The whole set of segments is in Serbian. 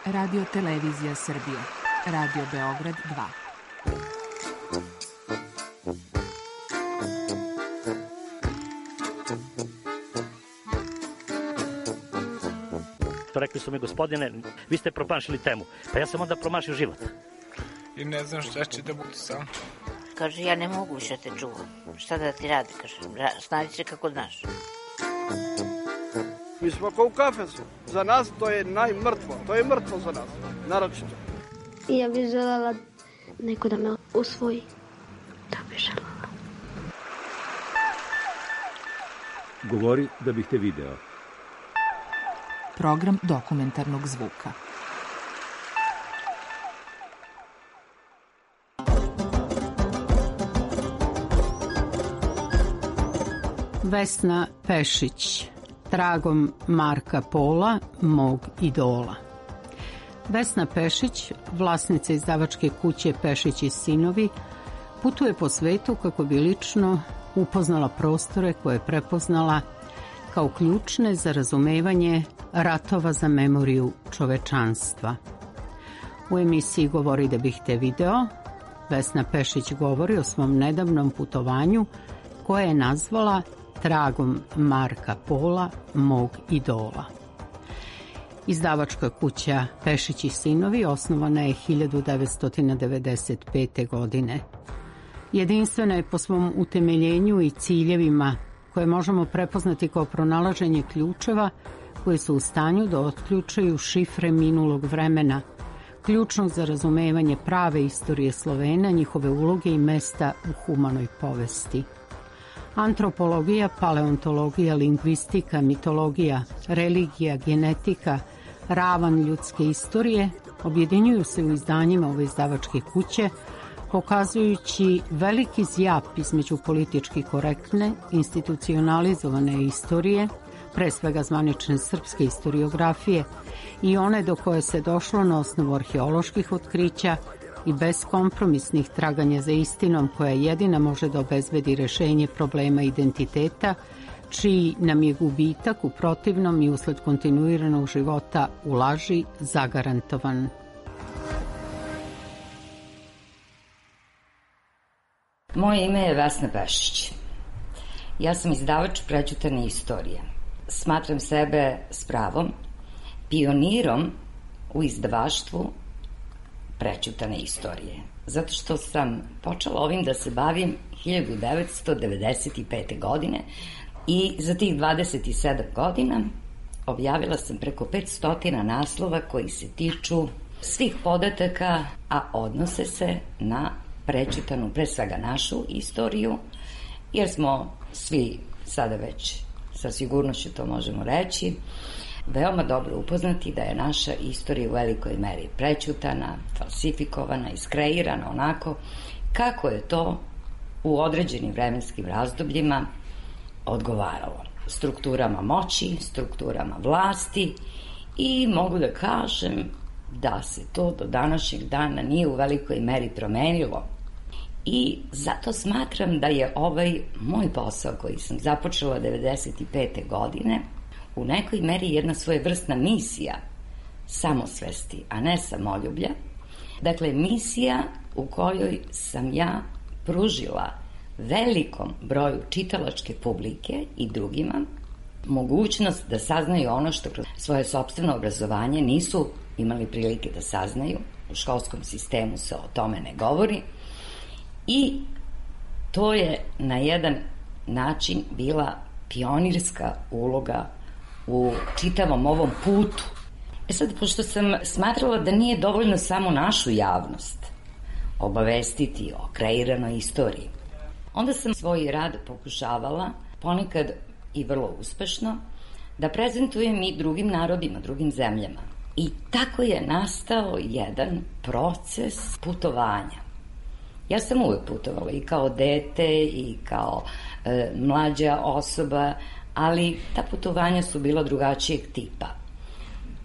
Radio Televizija Srbije. Radio Beograd 2. Rekli su mi, gospodine, vi ste promašili temu. Pa ja sam onda promašio život. I ne znam šta će da bude sam. Kaže, ja ne mogu više te čuvam. Šta da ti radi, kaže, snađi se kako znaš. Mi smo kao u kafesu. Za nas to je najmrtvo. To je mrtvo za nas, naročito. I ja bih želela neko da me usvoji. Da bih želela. Govori da bih te video. Program dokumentarnog zvuka. Vesna Pešić, tragom Marka Pola, mog idola. Vesna Pešić, vlasnica izdavačke kuće Pešić i sinovi, putuje po svetu kako bi lično upoznala prostore koje je prepoznala kao ključne za razumevanje ratova za memoriju čovečanstva. U emisiji Govori da bih te video, Vesna Pešić govori o svom nedavnom putovanju koje je nazvala Tragom Marka Pola, mog idola. Izdavačka kuća Pešić i sinovi osnovana je 1995. godine. Jedinstvena je po svom utemeljenju i ciljevima koje možemo prepoznati kao pronalaženje ključeva koji su u stanju da otključaju šifre minulog vremena, ključnog za razumevanje prave istorije Slovena, njihove uloge i mesta u humanoj povesti. Antropologija, paleontologija, lingvistika, mitologija, religija, genetika, ravan ljudske istorije objedinjuju se u izdanjima ove izdavačke kuće, pokazujući veliki zjap između politički korektne, institucionalizovane istorije, pre svega zvanične srpske istoriografije, i one do koje se došlo na osnovu arheoloških otkrića i beskompromisnih traganja za istinom koja jedina može da obezbedi rešenje problema identiteta, čiji nam je gubitak u protivnom i usled kontinuiranog života u laži zagarantovan. Moje ime je Vesna Pešić. Ja sam izdavač prećutane istorije. Smatram sebe s pravom pionirom u izdavaštvu prećutane istorije. Zato što sam počela ovim da se bavim 1995. godine i za tih 27 godina objavila sam preko 500 naslova koji se tiču svih podataka, a odnose se na prećutanu, pre svega našu istoriju, jer smo svi sada već sa sigurnošću to možemo reći, veoma dobro upoznati da je naša istorija u velikoj meri prećutana, falsifikovana, iskreirana onako kako je to u određenim vremenskim razdobljima odgovaralo strukturama moći, strukturama vlasti, i mogu da kažem da se to do današnjeg dana nije u velikoj meri promenilo. I zato smatram da je ovaj moj posao koji sam započela 1995. godine u nekoj meri jedna svojevrsna misija samosvesti, a ne samoljublja. Dakle, misija u kojoj sam ja pružila velikom broju čitalačke publike i drugima mogućnost da saznaju ono što kroz svoje sopstveno obrazovanje nisu imali prilike da saznaju. U školskom sistemu se o tome ne govori. I to je na jedan način bila pionirska uloga u čitavom ovom putu. Sad, pošto sam smatrala da nije dovoljno samo našu javnost obavestiti o kreiranoj istoriji, onda sam svoj rad pokušavala, ponekad i vrlo uspešno, da prezentujem i drugim narodima, drugim zemljama. I tako je nastao jedan proces putovanja. Ja sam uvek putovala i kao dete i kao mlađa osoba, ali ta putovanja su bila drugačijeg tipa.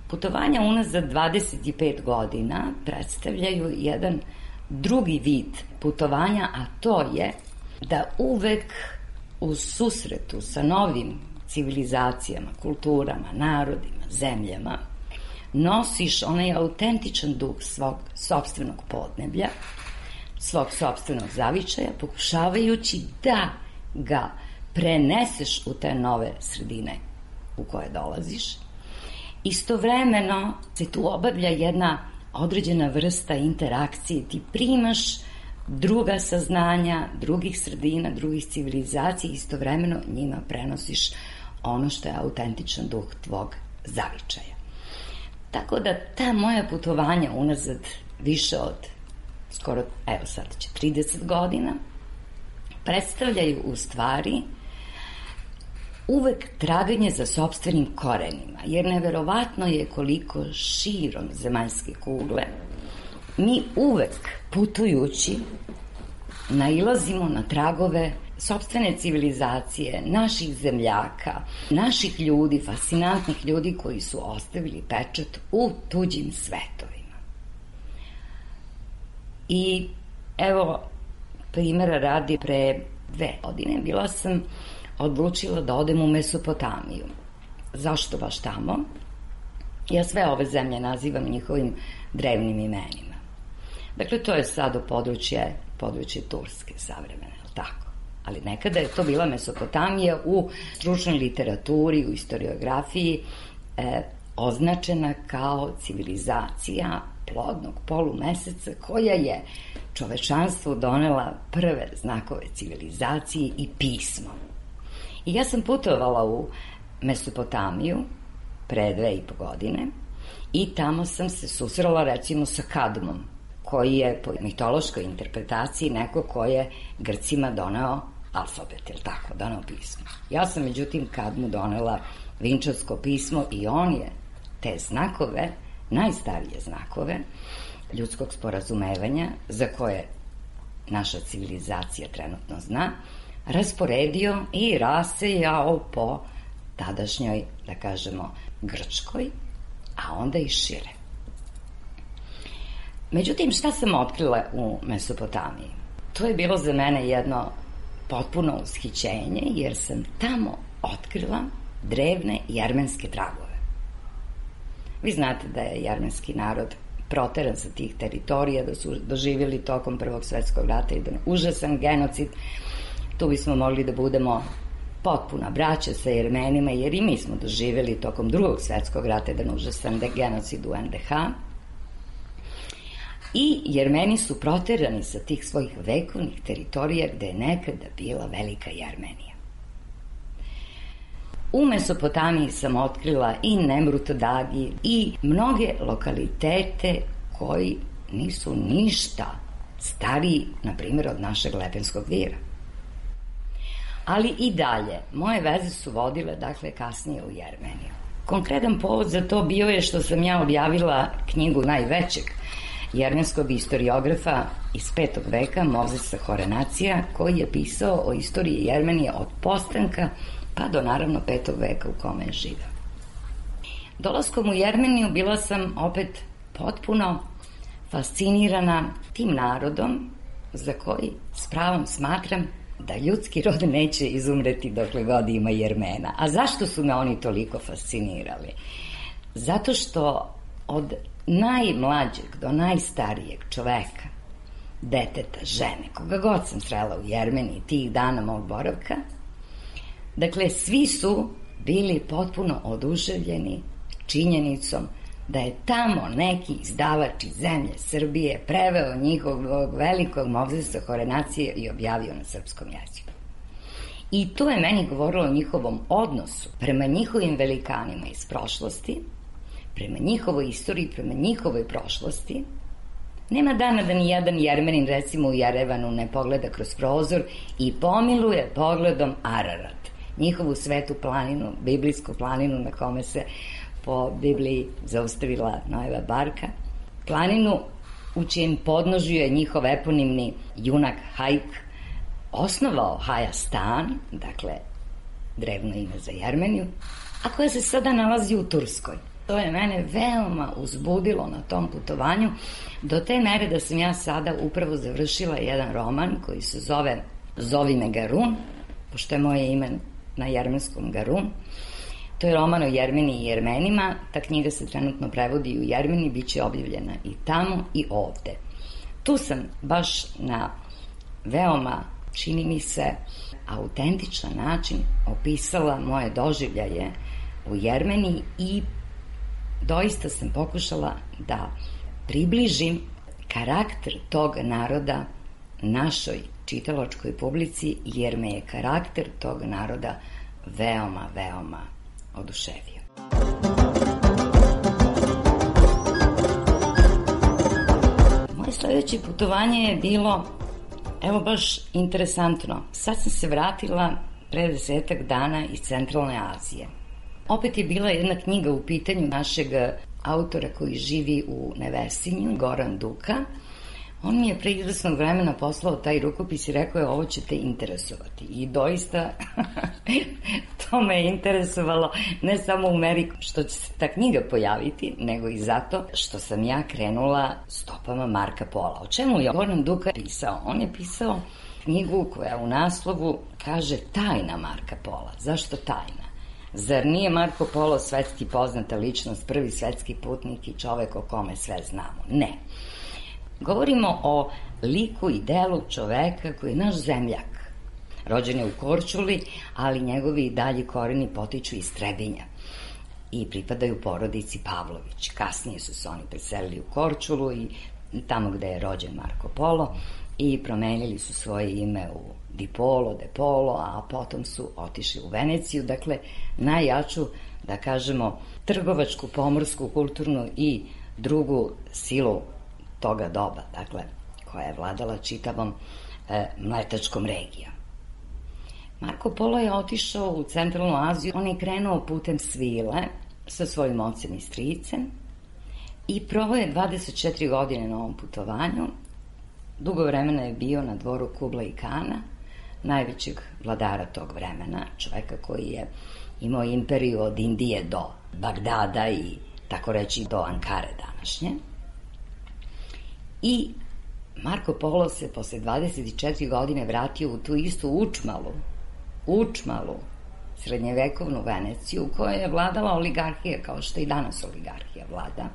Putovanja unazad 25 godina predstavljaju jedan drugi vid putovanja, a to je da uvek u susretu sa novim civilizacijama, kulturama, narodima, zemljama, nosiš onaj autentičan duh svog sopstvenog podneblja, svog sopstvenog zavičaja, pokušavajući da ga preneseš u te nove sredine u koje dolaziš. Istovremeno se tu obavlja jedna određena vrsta interakcije. Ti primaš druga saznanja, drugih sredina, drugih civilizacija, istovremeno njima prenosiš ono što je autentičan duh tvog zavičaja. Tako da ta moja putovanja unazad više od skoro, evo sad će 30 godina, predstavljaju u stvari uvek traganje za sopstvenim korenima, jer neverovatno je koliko širom zemaljske kugle mi uvek putujući nailazimo na tragove sopstvene civilizacije, naših zemljaka, naših ljudi, fascinantnih ljudi koji su ostavili pečat u tuđim svetovima. I evo, primjera radi, pre 2 godine bila sam odlučila da odem u Mesopotamiju. Zašto baš tamo? Ja sve ove zemlje nazivam njihovim drevnim imenima. Dakle, to je sad područje Turske savremene, je li tako? Ali nekada je to bila Mesopotamija u stručnoj literaturi, u historiografiji, označena kao civilizacija plodnog polumeseca koja je čovečanstvu donela prve znakove civilizacije i pismo. I ja sam putovala u Mesopotamiju pre 2,5 godine i tamo sam se susrela recimo sa Kadmom, koji je po mitološkoj interpretaciji neko ko je Grcima doneo alfabet, ili tako, doneo pismo. Ja sam međutim Kadmu donela Vinčarsko pismo i on je te znakove, najstarije znakove ljudskog sporazumevanja, za koje naša civilizacija trenutno zna, rasporedio i rasejao po tadašnjoj, da kažemo, Grčkoj, a onda i šire. Međutim, šta sam otkrila u Mesopotamiji? To je bilo za mene jedno potpuno ushićenje, jer sam tamo otkrila drevne jermenske tragove. Vi znate da je jermenski narod proteran sa tih teritorija, da su doživjeli tokom Prvog svetskog rata jedan užasan genocid. Tu bismo mogli da budemo potpuna braća sa Jermenima, jer i mi smo doživjeli tokom Drugog svetskog rata jedan užasan genocid u NDH. I Jermeni su proterani sa tih svojih vekovnih teritorija gde je nekada bila Velika Jermenija. U Mesopotamiji sam otkrila i Nemrut Dagi i mnoge lokalitete koji nisu ništa stariji, na primjer, od našeg Lepenskog vira. Ali i dalje, moje veze su vodile, dakle, kasnije u Jermeniju. Konkretan povod za to bio je što sam ja objavila knjigu najvećeg jermenskog historiografa iz 5. veka, Mozesa Horenacija, koji je pisao o istoriji Jermenije od postanka pa do naravno 5. veka u kome je živeo. Dolaskom u Jermeniju bila sam opet potpuno fascinirana tim narodom za koji s pravom smatram da ljudski rod neće izumreti dokle god ima Jermena. A zašto su me oni toliko fascinirali? Zato što od najmlađeg do najstarijeg čoveka, deteta, žene, koga god sam srela u Jermeniji tih dana mog boravka, dakle, svi su bili potpuno oduševljeni činjenicom da je tamo neki izdavač iz zemlje Srbije preveo njihovog velikog Mozesa Horenacije i objavio na srpskom jeziku. I to je meni govorilo o njihovom odnosu prema njihovim velikanima iz prošlosti, prema njihovoj istoriji, prema njihovoj prošlosti. Nema dana da ni jedan Jermenin, recimo u Jerevanu, ne pogleda kroz prozor i pomiluje pogledom Ararat, njihovu svetu planinu, biblijsku planinu na kome se po Bibliji zaustavila Noeva barka, planinu u čijem podnožju je njihov eponimni junak Hajk osnovao Hajastan, dakle drevno ime za Jermeniju, a koja se sada nalazi u Turskoj. To je mene veoma uzbudilo na tom putovanju, do te mere da sam ja sada upravo završila jedan roman koji se zove Zovi me Garun, pošto je moje ime na jermenskom Garun, To je roman o Jermeni i Jermenima. Ta knjiga se trenutno prevodi u Jermeni, bit će objavljena i tamo i ovde. Tu sam baš na veoma, čini mi se, autentičan način opisala moje doživljaje u Jermeniji i doista sam pokušala da približim karakter tog naroda našoj čitalačkoj publici, jer me je karakter tog naroda veoma, veoma oduševio. Moje sledeće putovanje je bilo, evo baš interesantno. Sad sam se vratila pre 10 dana iz Centralne Azije. Opet je bila jedna knjiga u pitanju našeg autora koji živi u Nevesinju, Goran Duka. On mi je pre izvesnog vremena poslao taj rukopis i rekao je ovo će te interesovati. I doista to me je interesovalo ne samo u meri što će se ta knjiga pojaviti, nego i zato što sam ja krenula stopama Marka Pola. O čemu je Goran Duka pisao? On je pisao knjigu koja u naslovu kaže Tajna Marka Pola. Zašto tajna? Zar nije Marko Polo svetski poznata ličnost, prvi svetski putnik i čovek o kome sve znamo? Ne. Govorimo o liku i delu čoveka koji je naš zemljak. Rođen je u Korčuli, ali njegovi dalji koreni potiču iz Trebinja i pripadaju porodici Pavlović. Kasnije su se oni preselili u Korčulu i tamo gde je rođen Marko Polo i promenili su svoje ime u Di Polo, De Polo, a potom su otišli u Veneciju, dakle najjaču, da kažemo, trgovačku, pomorsku, kulturnu i drugu silu toga doba, dakle, koja je vladala čitavom mletačkom regijom. Marko Polo je otišao u Centralnu Aziju, on je krenuo putem svile sa svojim ocem i stricem i proveo je 24 godine na ovom putovanju. Dugo vremena je bio na dvoru Kublai Kana, najvećeg vladara tog vremena, čoveka koji je imao imperiju od Indije do Bagdada i tako reći do Ankare današnje. I Marko Polo se posle 24 godine vratio u tu istu učmalu srednjevekovnu Veneciju u kojoj je vladala oligarhija kao što i danas oligarhija vlada.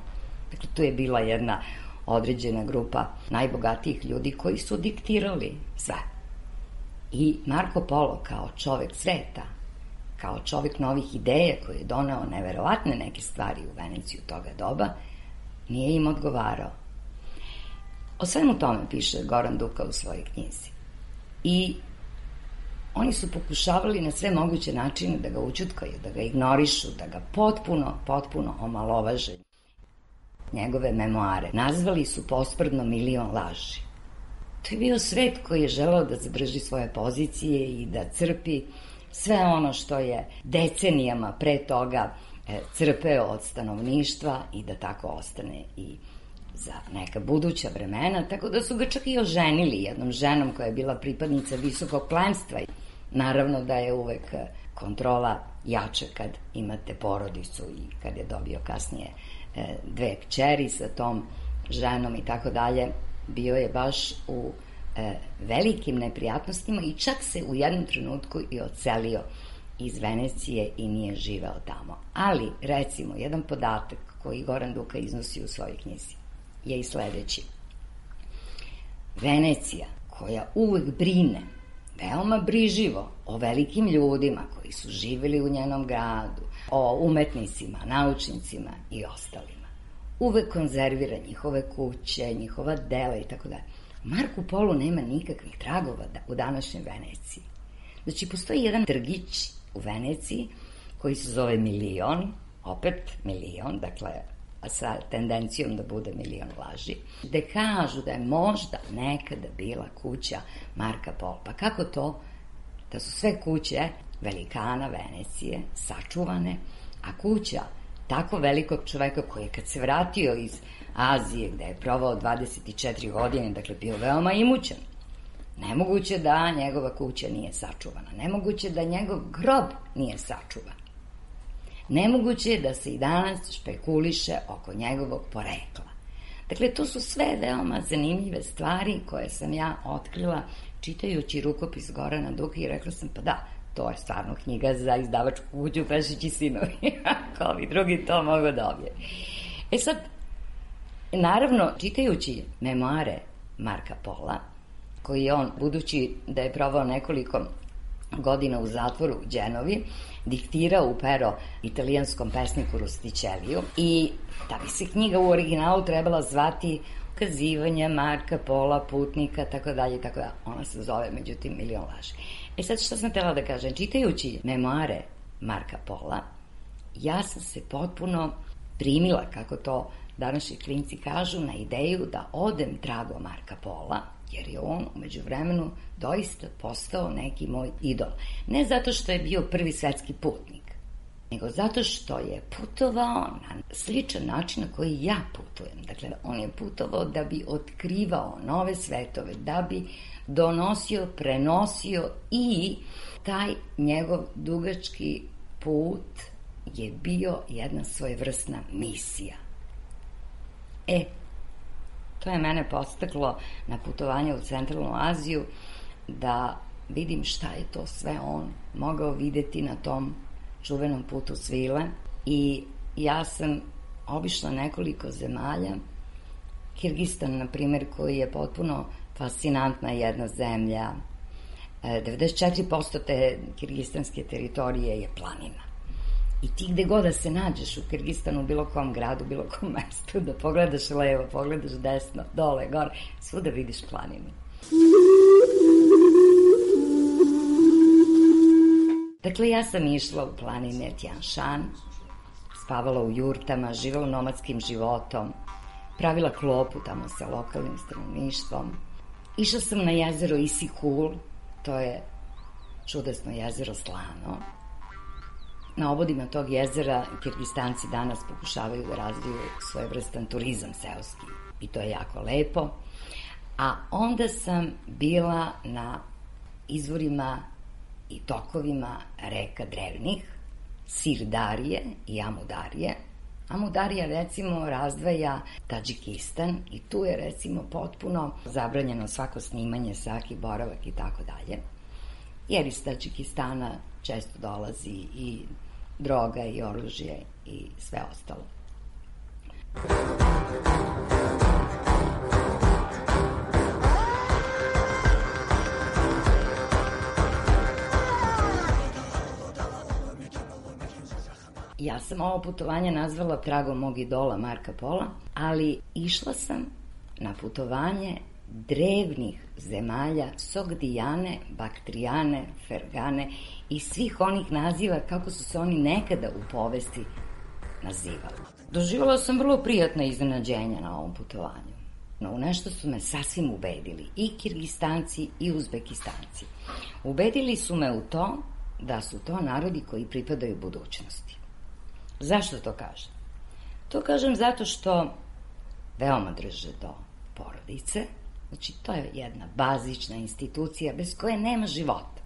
Dakle, tu je bila jedna određena grupa najbogatijih ljudi koji su diktirali sve. I Marko Polo kao čovek sveta, kao čovek novih ideja koji je doneo neverovatne neke stvari u Veneciju toga doba, nije im odgovarao. O svemu tome piše Goran Duka u svojoj knjizi. I oni su pokušavali na sve moguće načine da ga ućutkaju, da ga ignorišu, da ga potpuno omalovaže. Njegove memoare nazvali su posprdno milion laži. To je bio svet koji je želeo da zadrži svoje pozicije i da crpi sve ono što je decenijama pre toga crpeo od stanovništva i da tako ostane i za neka buduća vremena, tako da su ga čak i oženili jednom ženom koja je bila pripadnica visokog plemstva. Naravno da je uvek kontrola jača kad imate porodicu i kad je dobio kasnije 2 kćeri sa tom ženom i tako dalje. Bio je baš u velikim neprijatnostima i čak se u jednom trenutku i odselio iz Venecije i nije živeo tamo. Ali, recimo, jedan podatak koji Goran Duka iznosi u svojoj knjizi je i sledeći. Venecija, koja uvek brine veoma briživo o velikim ljudima koji su živeli u njenom gradu, o umetnicima, naučnicima i ostalima, uvek konzervira njihove kuće, njihova dela i tako dalje. Marku Polu nema nikakvih tragova u današnjoj Veneciji. Znači, postoji jedan trgić u Veneciji koji se zove Milion, opet milion, dakle, sa tendencijom da bude milion laži, gde kažu da je možda nekada bila kuća Marka Pola. Pa kako to da su sve kuće velikana Venecije sačuvane, a kuća tako velikog čoveka koji je kad se vratio iz Azije, gde je provao 24 godine, dakle bio veoma imućan, nemoguće da njegova kuća nije sačuvana, nemoguće da njegov grob nije sačuvan. Nemoguće je da se i danas špekuliše oko njegovog porekla. Dakle, to su sve veoma zanimljive stvari koje sam ja otkrila čitajući rukopis Gorana Duka i rekla sam, pa da, to je stvarno knjiga za izdavačku kuću Pešić i sinovi, ako ovi drugi to mogu dobije. E sad, naravno, čitajući memoare Marka Pola, koji je on, budući da je provao nekoliko godina u zatvoru u Đenovi, diktirao u pero italijanskom pesniku Rusticelliju i da bi se knjiga u originalu trebala zvati Ukazivanja Marka Pola, putnika, tako dalje, tako da. Ona se zove, međutim, Milion laži. E sad, što sam htjela da kažem? Čitajući memoare Marka Pola, ja sam se potpuno primila, kako to današnji klinci kažu, na ideju da odem trago Marka Pola, jer je on u međuvremenu doista postao neki moj idol. Ne zato što je bio prvi svetski putnik, nego zato što je putovao na sličan način na koji ja putujem. Dakle, on je putovao da bi otkrivao nove svetove, da bi donosio, prenosio i taj njegov dugački put je bio jedna svojevrsna misija. To je mene podstaklo na putovanje u Centralnu Aziju da vidim šta je to sve on mogao videti na tom čuvenom putu svile i ja sam obišla nekoliko zemalja. Kirgistan, na primjer, koji je potpuno fascinantna jedna zemlja. 94% te kirgistanske teritorije je planina. I ti gde god da se nađeš u Kirgistanu, bilo kom gradu, bilo kom mestu, da pogledaš levo, pogledaš desno, dole, gore, svuda vidiš planinu. Dakle, ja sam išla u planine Tian Shan, spavala u jurtama, živela nomadskim životom, pravila klopu tamo sa lokalnim stanovništvom. Išla sam na jezero Isikul, to je čudesno jezero Slano. Na obodima tog jezera Kirgistanci danas pokušavaju da razviju svojevrstan turizam seoski i to je jako lepo. A onda sam bila na izvorima i tokovima reka drevnih, Sirdarije i Amudarije. Amudarija, recimo, razdvaja Tadžikistan i tu je, recimo, potpuno zabranjeno svako snimanje, svaki boravak i tako dalje. Jer iz Tadžikistana često dolazi i droga i oružje i sve ostalo. Ja sam ovo putovanje nazvala tragom mog idola Marka Pola, ali išla sam na putovanje drevnih zemalja Sogdijane, Baktrijane, Fergane i svih onih naziva kako su se oni nekada u povesti nazivali. Doživjela sam vrlo prijatna iznenađenja na ovom putovanju. No, u nešto su me sasvim ubedili i Kirgistanci i Uzbekistanci. Ubedili su me u to da su to narodi koji pripadaju budućnosti. Zašto to kažem? To kažem zato što veoma drže do porodice. Znači, to je jedna bazična institucija bez koje nema života.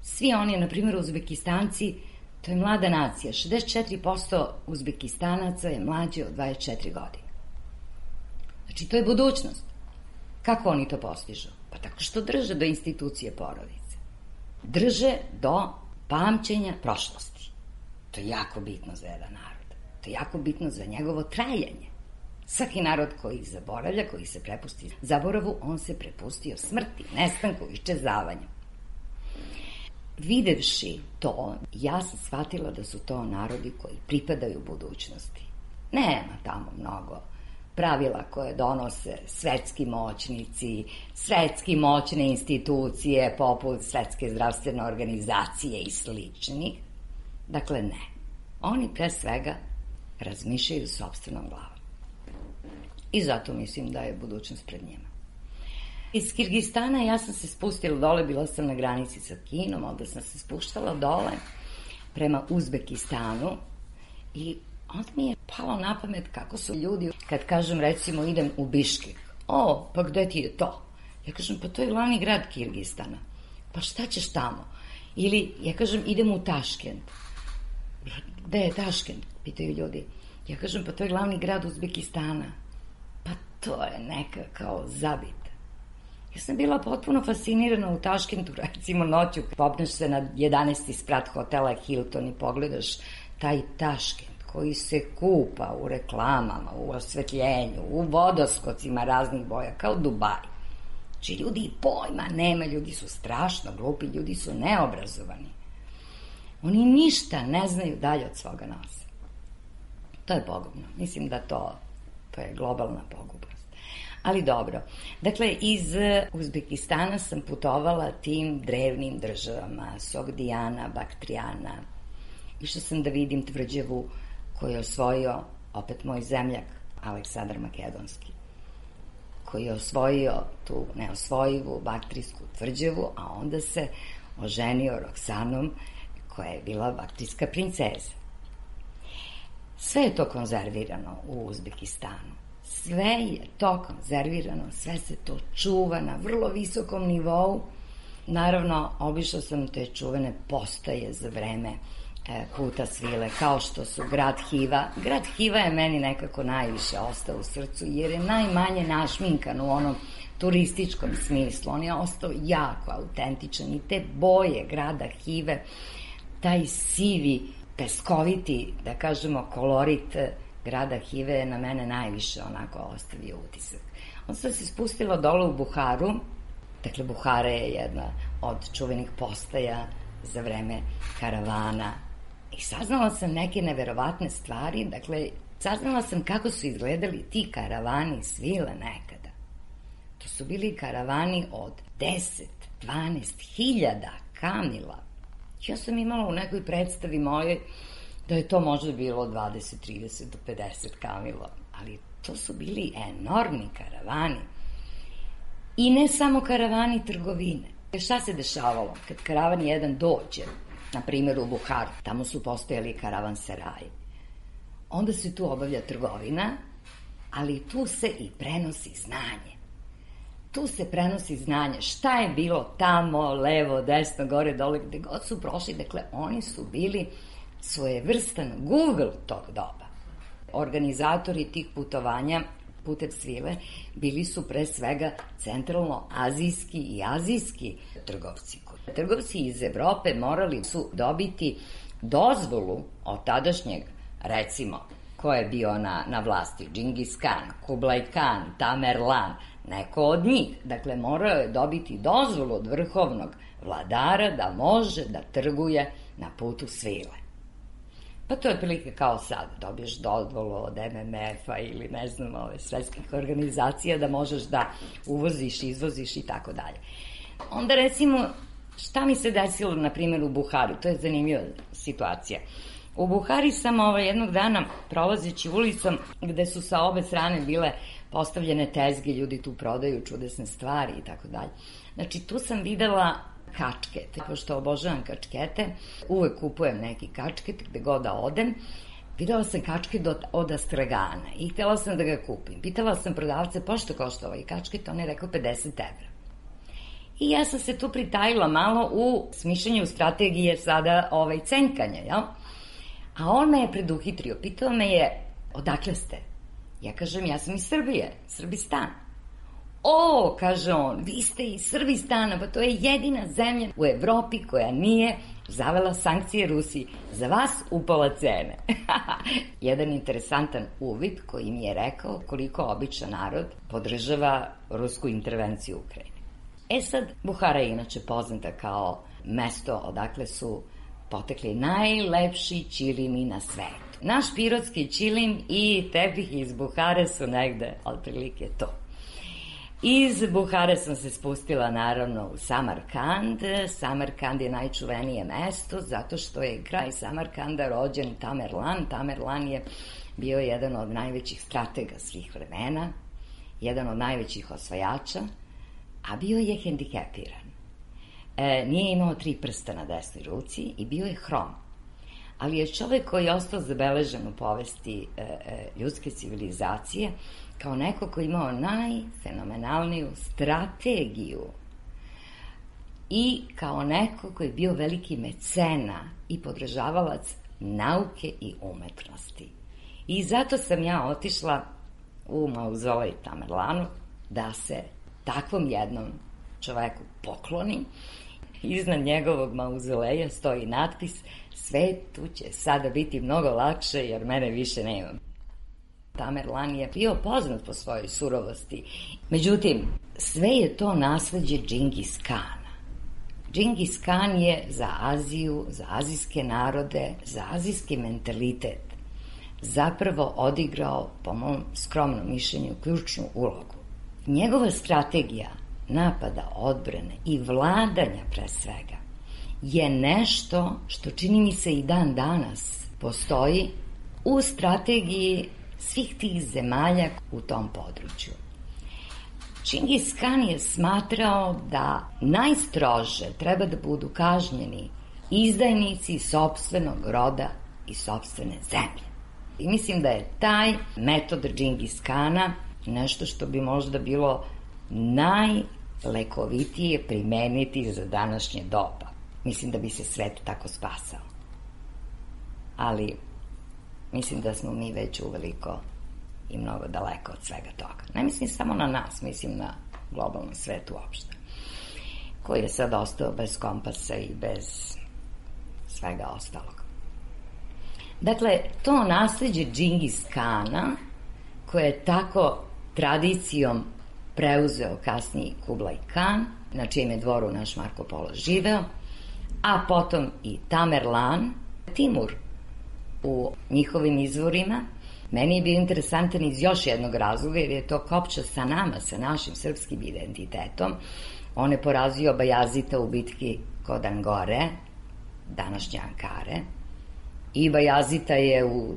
Svi oni, na primjer, Uzbekistanci, to je mlada nacija. 64% Uzbekistanaca je mlađe od 24 godine. Znači, to je budućnost. Kako oni to postižu? Pa tako što drže do institucije porodice. Drže do pamćenja prošlosti. To je jako bitno za jedan narod. To je jako bitno za njegovo trajanje. Svaki narod koji zaboravlja, koji se prepusti zaboravu, on se prepustio smrti, nestanku, iščezavanju. Videvši to, ja sam shvatila da su to narodi koji pripadaju budućnosti. Nema tamo mnogo pravila koje donose svetski moćnici, svetski moćne institucije poput Svetske zdravstvene organizacije i sličnih. Dakle, ne. Oni pre svega razmišljaju sopstvenom glavom. I zato mislim da je budućnost pred njima. Iz Kirgistana ja sam se spustila dole, bila sam na granici sa Kinom, onda sam se spuštala dole prema Uzbekistanu i onda mi je palo na pamet kako su ljudi, kad kažem recimo idem u Biškek, pa gde ti je to? Ja kažem, pa to je glavni grad Kirgistana. Pa šta ćeš tamo? Ili ja kažem, idem u Taškent. Gde je Taškent? Pitaju ljudi. Ja kažem, pa to je glavni grad Uzbekistana. Pa to je neka kao zabita. Ja sam bila potpuno fascinirana u Taškentu, recimo noću, popneš se na 11. sprat hotela Hilton i pogledaš taj Taškent koji se kupa u reklamama, u osvetljenju, u vodoskocima raznih boja, kao Dubaj. Znači, ljudi i pojma nema, ljudi su strašno glupi, ljudi su neobrazovani. Oni ništa ne znaju dalje od svoga nosa. To je pogubno. Mislim da to je globalna pogubnost. Ali dobro. Dakle, iz Uzbekistana sam putovala tim drevnim državama, Sogdijana, Baktrijana. Išla sam da vidim tvrđavu koju je osvojio opet moj zemljak, Aleksandar Makedonski, koji je osvojio tu neosvojivu baktrijsku tvrđavu, a onda se oženio Roksanom, koja je bila baktrijska princeza. Sve je to konzervirano u Uzbekistanu. Sve je to konzervirano, sve se to čuva na vrlo visokom nivou. Naravno, obišla sam te čuvene postaje za vreme Puta svile, kao što su Grad Hiva. Grad Hiva je meni nekako najviše ostao u srcu, jer je najmanje našminkan u onom turističkom smislu. On je ostao jako autentičan i te boje Grada Hive, taj sivi, peskoviti, da kažemo, kolorit Grada Hive je na mene najviše onako ostavio utisak. Onda sam se spustila dole u Buharu. Dakle, Buhara je jedna od čuvenih postaja za vreme karavana. I saznala sam neke neverovatne stvari. Dakle, saznala sam kako su izgledali ti karavani svile nekada. To su bili karavani od 10-12 hiljada kamila. Ja sam imala u nekoj predstavi mojoj da je to možda bilo 20, 30 do 50 kamila, ali to su bili enormni karavani. I ne samo karavani trgovine. Šta se dešavalo? Kad karavan jedan dođe, na primjer u Buharu, tamo su postojali karavanseraji, onda se tu obavlja trgovina, ali tu se i prenosi znanje. Tu se prenosi znanje. Šta je bilo tamo, levo, desno, gore, dole, gde god su prošli. Dakle, oni su bili svojevrstan Google tog doba. Organizatori tih putovanja putem svile bili su pre svega centralno-azijski i azijski trgovci. Trgovci iz Evrope morali su dobiti dozvolu od tadašnjeg, recimo, ko je bio na vlasti, Džingis Kan, Kublai Kan, Tamerlan, neko od njih. Dakle, morao je dobiti dozvolu od vrhovnog vladara da može da trguje na putu svile. Pa to je otprilike kao sad, dobiješ dozvolu od MMF-a ili ne znam, svetskih organizacija da možeš da uvoziš, izvoziš i tako dalje. Onda recimo, šta mi se desilo, na primjer, u Buhari? To je zanimljiva situacija. U Buhari sam jednog dana prolazeći ulicom gde su sa obe strane bile postavljene tezge, ljudi tu prodaju čudesne stvari i tako dalje. Znači, tu sam videla kačkete, pošto obožavam kačkete, uvek kupujem neki kačket gde god da odem. Videla sam kačket od Astragana i htela sam da ga kupim. Pitala sam prodavce, pošto košta ovaj kačket, on je rekao 50 evra. I ja sam se tu pritajila malo u smišljanju strategije sada cenkanja, jel? A on me je preduhitrio, pitao me je, odakle ste? Ja kažem, ja sam iz Srbije, Srbistan. O, kaže on, vi ste iz Srbistana, pa to je jedina zemlja u Evropi koja nije zavela sankcije Rusiji. Za vas upala cene. Jedan interesantan uvid koji mi je rekao koliko običan narod podržava rusku intervenciju u Ukrajini. E sad, Buhara je inače poznata kao mesto odakle su potekli najlepši ćilimi na svetu. Naš pirotski ćilim i tepih iz Buhare su negde otprilike to. Iz Buhare sam se spustila naravno u Samarkand. Samarkand je najčuvenije mesto zato što je kraj Samarkanda rođen Tamerlan. Tamerlan je bio jedan od najvećih stratega svih vremena, jedan od najvećih osvajača, a bio je hendikepiran. Nije imao 3 prsta na desnoj ruci i bio je hrom. Ali je čovek koji je ostao zabeležen u povesti ljudske civilizacije kao neko koji je imao najfenomenalniju strategiju i kao neko koji je bio veliki mecena i podržavalac nauke i umetnosti. I zato sam ja otišla u mauzolej Tamerlanu da se takvom jednom čoveku pokloni. Iznad njegovog mauzoleja stoji natpis: svetu će sada biti mnogo lakše jer mene više nema. Tamerlan je bio poznat po svojoj surovosti. Međutim, sve je to nasleđe Džingis Kana. Džingis Kan je za Aziju, za azijske narode, za azijski mentalitet zapravo odigrao, po mom skromnom mišljenju, ključnu ulogu. Njegova strategija napada, odbrane i vladanja pre svega je nešto što čini mi se i dan danas postoji u strategiji svih tih zemalja u tom području. Džingis Kan je smatrao da najstrože treba da budu kažnjeni izdajnici sopstvenog roda i sopstvene zemlje. I mislim da je taj metod Džingis Kana nešto što bi možda bilo najlekovitije primeniti za današnje doba. Mislim da bi se svet tako spasao. Ali mislim da smo mi već uveliko i mnogo daleko od svega toga. Ne mislim samo na nas, mislim na globalni svet uopšte, koji je sad ostao bez kompasa i bez svega ostalog. Dakle, to nasleđe Džingis Kana, koje je tako tradicijom preuzeo kasniji Kublai Kan, na čijem je dvoru naš Marko Polo živeo, a potom i Tamerlan, Timur u njihovim izvorima, meni je bio interesantan iz još jednog razloga, jer je to kopča sa nama, sa našim srpskim identitetom. On je porazio Bajazita u bitki kod Angore, današnje Ankare, i Bajazita je u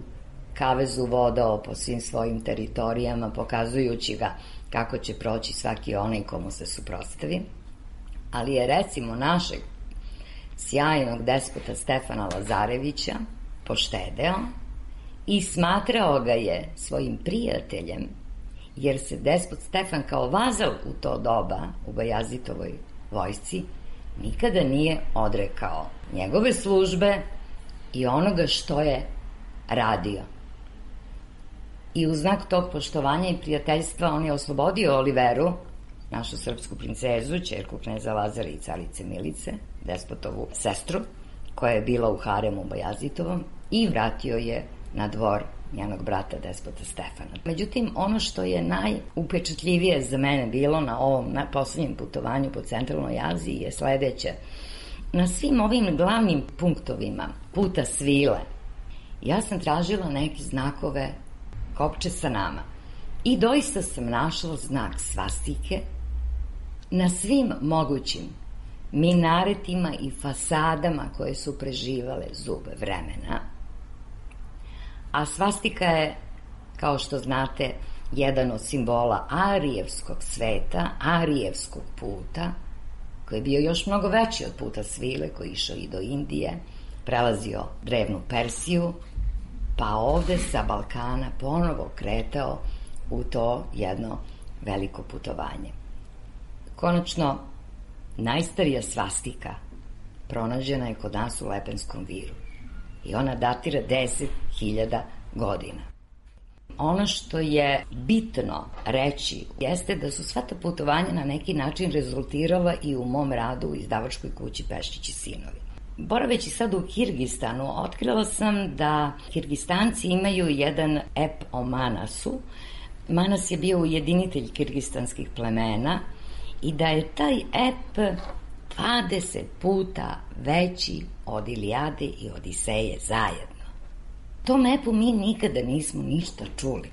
kavezu vodao po svim svojim teritorijama, pokazujući ga kako će proći svaki onaj komu se suprotstavi. Ali je, recimo, našeg sjajnog despota Stefana Lazarevića poštedeo i smatrao ga je svojim prijateljem, jer se despot Stefan kao vazal u to doba u Bajazitovoj vojsci nikada nije odrekao njegove službe i onoga što je radio. I u znak tog poštovanja i prijateljstva on je oslobodio Oliveru, našu srpsku princezu, ćerku kneza Lazara i carice Milice, despotovu sestru, koja je bila u haremu Bajazitovom, i vratio je na dvor njenog brata despota Stefana. Međutim, ono što je najupečatljivije za mene bilo na ovom poslednjem putovanju po centralnoj Aziji je sledeće. Na svim ovim glavnim punktovima puta svile ja sam tražila neke znakove kopče sa nama i doista sam našla znak svastike na svim mogućim minaretima i fasadama koje su preživale zube vremena. A svastika je, kao što znate, jedan od simbola arijevskog sveta, arijevskog puta, koji je bio još mnogo veći od puta svile, koji je išao i do Indije, prelazio drevnu Persiju, pa ovde sa Balkana ponovo kretao u to jedno veliko putovanje. Konačno, najstarija svastika pronađena je kod nas u Lepenskom viru i ona datira 10.000 godina. Ono što je bitno reći jeste da su sva ta putovanja na neki način rezultirala i u mom radu u izdavačkoj kući Peščić i sinovi. Boraveći sad u Kirgistanu, otkrila sam da Kirgistanci imaju jedan ep o Manasu. Manas je bio ujedinitelj kirgistanskih plemena i da je taj ep 20 puta veći od Ilijade i Odiseje zajedno. Tom epu mi nikada nismo ništa čuli.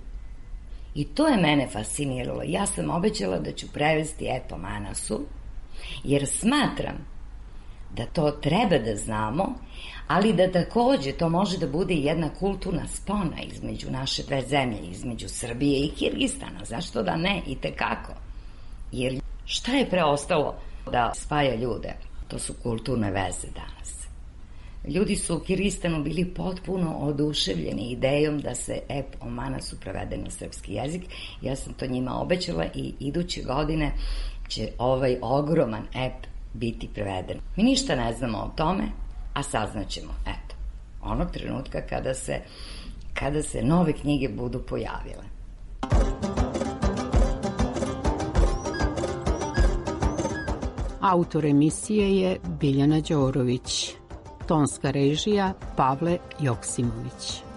I to je mene fasciniralo. Ja sam obećala da ću prevesti ep o Manasu, jer smatram da to treba da znamo, ali da takođe to može da bude jedna kulturna spona između naše dve zemlje, između Srbije i Kirgistana. Zašto da ne? I tekako. Jer šta je preostalo da spaja ljude? To su kulturne veze danas. Ljudi su u Kirgistanu bili potpuno oduševljeni idejom da se ep o Manasu prevede na srpski jezik. Ja sam to njima obećala i iduće godine će ovaj ogroman ep biti preveden. Mi ništa ne znamo o tome, a saznaćemo, eto, onog trenutka kada se nove knjige budu pojavile. Autor emisije je Biljana Đorović. Tonska režija Pavle Joksimović.